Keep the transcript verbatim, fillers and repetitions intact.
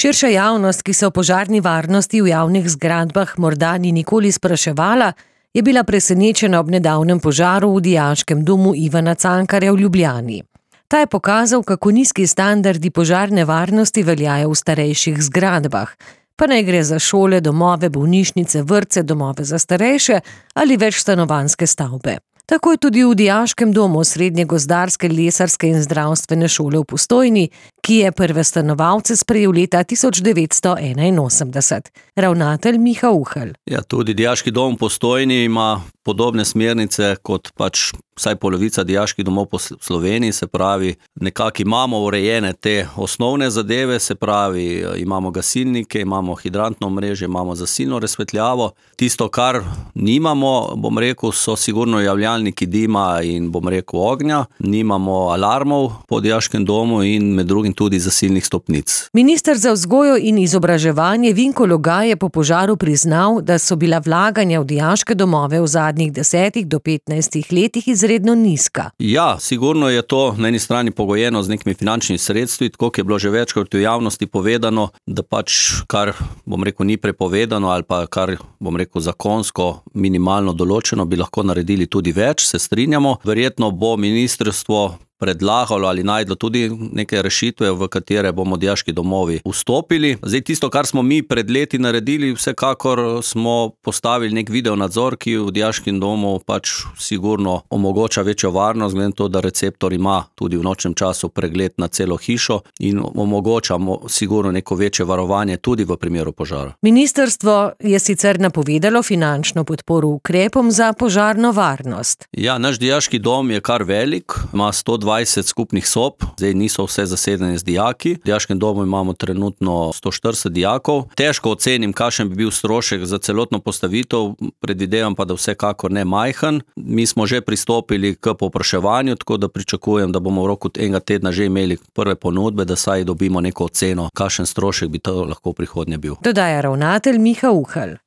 Širša javnost, ki se o požarni varnosti v javnih zgradbah morda ni nikoli spraševala, je bila presenečena ob nedavnem požaru v dijaškem domu Ivana Cankarja v Ljubljani. Ta je pokazal, kako nizki standardi požarne varnosti veljajo v starejših zgradbah, pa naj gre za šole, domove, bolnišnice, vrtce, domove za starejše ali večstanovanjske stavbe. Tako je tudi v dijaškem domu Srednje gozdarske, lesarske in zdravstvene šole v Postojni, ki je prve stanovalce sprejel leta tisoč devetsto enainosemdeset. Ravnatelj Miha Uhelj. Ja, tudi dijaški dom v Postojni ima podobne smernice kot pač vsaj polovica dijaških domov po Sloveniji, se pravi, nekako imamo urejene te osnovne zadeve, se pravi, imamo gasilnike, imamo hidrantno mreže, imamo zasilno razsvetljavo. Tisto, kar nimamo, bom rekel, so sigurno javljalniki dima in, bom rekel, ognja. Nimamo alarmov po dijaškem domu in med drugim tudi zasilnih stopnic. Minister za vzgojo in izobraževanje Vinko Logaj je po požaru priznal, da so bila vlaganja v dijaške domove v zadnjih desetih do petnajstih letih izredno nizka. Ja, sigurno je to na eni strani pogojeno z nekimi finančnimi sredstvi, tako kot je bilo že večkrat v javnosti povedano, da pač kar, bom rekel, ni prepovedano ali pa kar, bom rekel, zakonsko minimalno določeno, bi lahko naredili tudi več, se strinjamo. Verjetno bo ministrstvo predlagalo ali najdlo tudi neke rešitve, v katere bomo dijaški domovi vstopili. Zdaj, tisto, kar smo mi pred leti naredili, vsekakor smo postavili nek video nadzor, ki v dijaškem domu pač sigurno omogoča večjo varnost, glede to, da receptor ima tudi v nočnem času pregled na celo hišo in omogoča sigurno neko večje varovanje tudi v primeru požara. Ministrstvo je sicer napovedalo finančno podporo ukrepom za požarno varnost. Ja, naš dijaški dom je kar velik, ima sto dvajset skupnih sob, zdaj niso vse zasedene z dijaki. V dijaškem domu imamo trenutno sto štirideset dijakov. Težko ocenim, kakšen bi bil strošek za celotno postavitev, predvidevam pa, da vsekakor ne majhen. Mi smo že pristopili k povpraševanju, tako da pričakujem, da bomo v roku enega tedna že imeli prve ponudbe, da saj dobimo neko oceno, kakšen strošek bi to lahko v prihodnje bil. Dodaja ravnatelj Miha Uhelj.